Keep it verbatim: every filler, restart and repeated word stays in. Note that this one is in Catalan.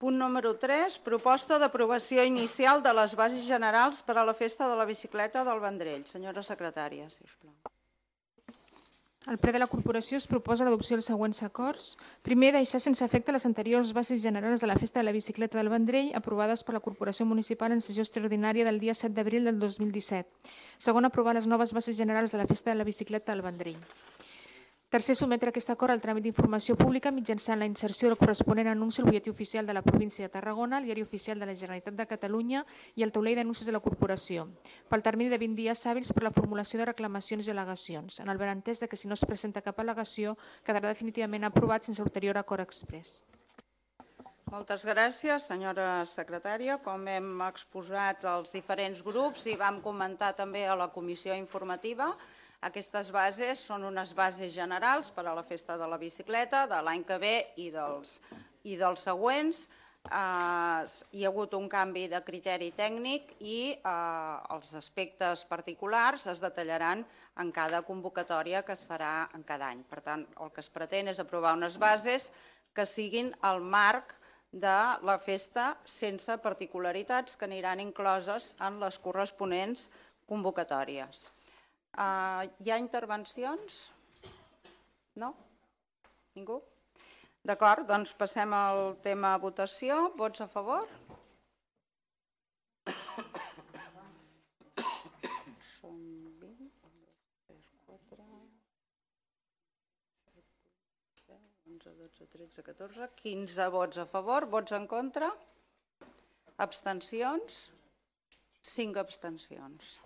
Punt número tres, proposta d'aprovació inicial de les bases generals per a la Festa de la Bicicleta del Vendrell. Senyora secretària, si us plau. Al ple de la corporació es proposa l'adopció dels següents acords. Primer, deixar sense efecte les anteriors bases generals de la Festa de la Bicicleta del Vendrell aprovades per la Corporació Municipal en sessió extraordinària del dia set d'abril del dos mil disset. Segon, aprovar les noves bases generals de la Festa de la Bicicleta del Vendrell. Tercer, sotmetre aquest acord al tràmit d'informació pública mitjançant la inserció del corresponent anunci al butlletí oficial de la província de Tarragona, al diari oficial de la Generalitat de Catalunya i al taulell d'anuncis de la corporació, pel termini de vint dies hàbils per la formulació de reclamacions i al·legacions, en el benentès de que si no es presenta cap al·legació quedarà definitivament aprovat sense ulterior acord exprés. Moltes gràcies, senyora secretària. Com hem exposat als diferents grups i vam comentar també a la comissió informativa, aquestes bases són unes bases generals per a la Festa de la Bicicleta de l'any que ve i dels, i dels següents. Eh, hi ha hagut un canvi de criteri tècnic i eh, els aspectes particulars es detallaran en cada convocatòria que es farà en cada any. Per tant, el que es pretén és aprovar unes bases que siguin el marc de la festa sense particularitats que aniran incloses en les corresponents convocatòries. Uh, hi ha intervencions? No? Ningú? D'acord, doncs passem al tema votació. Vots a favor? Són vint, tres, quatre, set, onze, dotze, tretze, catorze, quinze vots a favor. Vots en contra? Abstencions? cinc abstencions.